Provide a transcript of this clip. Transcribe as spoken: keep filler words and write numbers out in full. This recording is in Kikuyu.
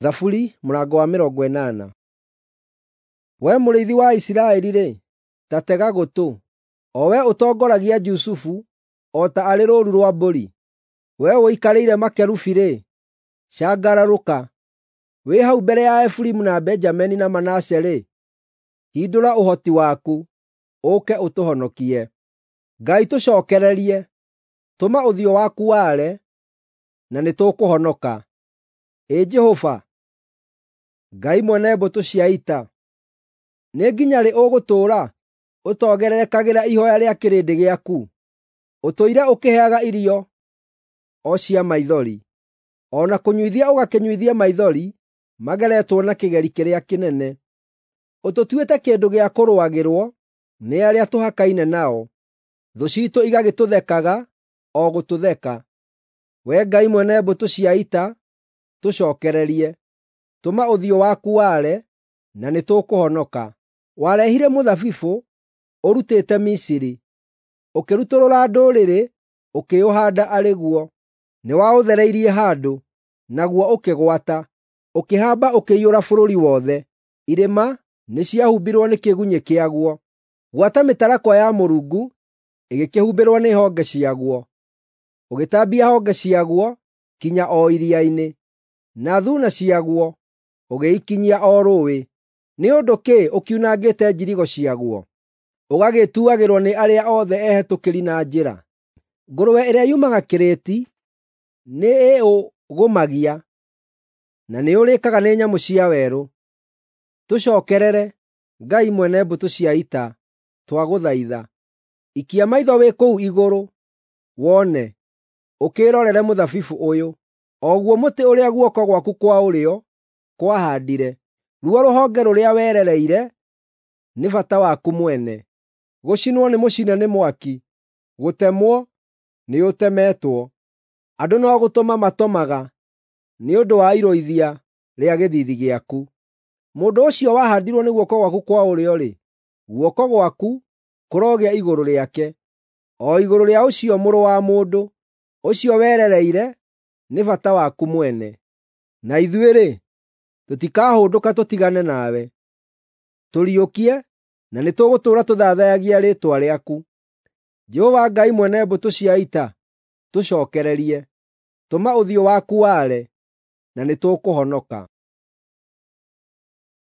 Thaburi mũrango wa mĩrongo ĩnana. Wee mũrĩithi wa Isiraeli-rĩ, ta tega gũtũ, o wee ũtongoragia Jusufu o ta arĩ rũũru rwa mbũri. Wee ũikarĩire makerubi-rĩ, cangararũka. Wĩ hau mbere ya Efiraimu na Benjamini na Manase-rĩ, hindũra ũhoti waku, ũũke ũtũhonokie. Ngai tũcookererie; tũma ũthiũ waku ware, na nĩtũkũhonoka. Ĩ Jehova, Ngai mwene mbũtũ cia ita, nĩ nginya rĩ ũgũtũũra ũtogererekagĩra ihooya rĩa kĩrĩndĩ gĩaku? Ũtũire ũkĩheaga irio o cia maithori, o na kũnyuithia ũgakĩnyuithia maithori mageretwo na kĩgeri kĩrĩa kĩnene. Ũtũtuĩte kĩndũ gĩa kũrũagĩrwo nĩ arĩa tũhakaine nao, thũ ciitũ igagĩtũthekaga o gũtũtheka. Wee Ngai mwene mbũtũ cia ita, tũcookererie; tũma ũthiũ waku ware, na nĩtũkũhonoka. Warehire mũthabibũ ũrutĩte Misiri, ũkĩrutũrũra ndũrĩrĩ ũkĩũhaanda arĩ guo. Nĩwaũthereirie handũ, naguo ũkĩgwata, ũkĩhamba ũkĩiyũra bũrũri wothe. Irĩma nĩciahumbirwo nĩ kĩgunyĩ kĩaguo, gwata mĩtarakwa ya Mũrungu ĩgĩkĩhumbĩrwo nĩ honge ciaguo. Ũgĩtambia honge ciaguo kinya o iria-inĩ, na thuuna ciaguo ũgĩikinyia o rũũĩ. Nĩ ũndũ kĩ ũkiunangĩte njirigo ciaguo, ũgagĩtuagĩrwo nĩ arĩa othe ehĩtũkĩri na njĩra? Ngũrwe ĩrĩa yumaga kĩrĩti nĩĩũgũmagia, na nĩũrĩĩkaga nĩ nyamũ cia werũ. Tũcookerere, Ngai mwene mbũtũ cia ita, twagũthaitha. Ikia maitho wĩ kũu igũrũ, wone, ũkĩĩrorere mũthabibũ ũyũ, o guo mũtĩ ũrĩa guoko gwaku kwa ũrĩo kwahaandire, ruo rũhonge rũrĩa werereire nĩ bata waku mwene. Gũcinwo nĩmũcine nĩ mwaki, gũtemwo nĩũtemetwo. Andũ no gũtũma matomaga nĩ ũndũ wa irũithia rĩa gĩthiithi gĩaku. Mũndũ ũcio wahaandirwo nĩ guoko gwaku kwa ũrĩo-rĩ, guoko gwaku kũrogĩa igũrũ rĩake, o igũrũ rĩa ũcio mũrũ wa mũndũ, ũcio werereire nĩ bata waku mwene. Na ithuĩ-rĩ, tũtikahũndũka tũtigane nawe. Tũriũkie, na nĩtũgũtũũra tũthathaiyagia rĩĩtwa rĩaku. Jehova Ngai mwene mbũtũ cia ita, tũcookererie; tũma ũthiũ waku ware, na nĩtũkũhonoka.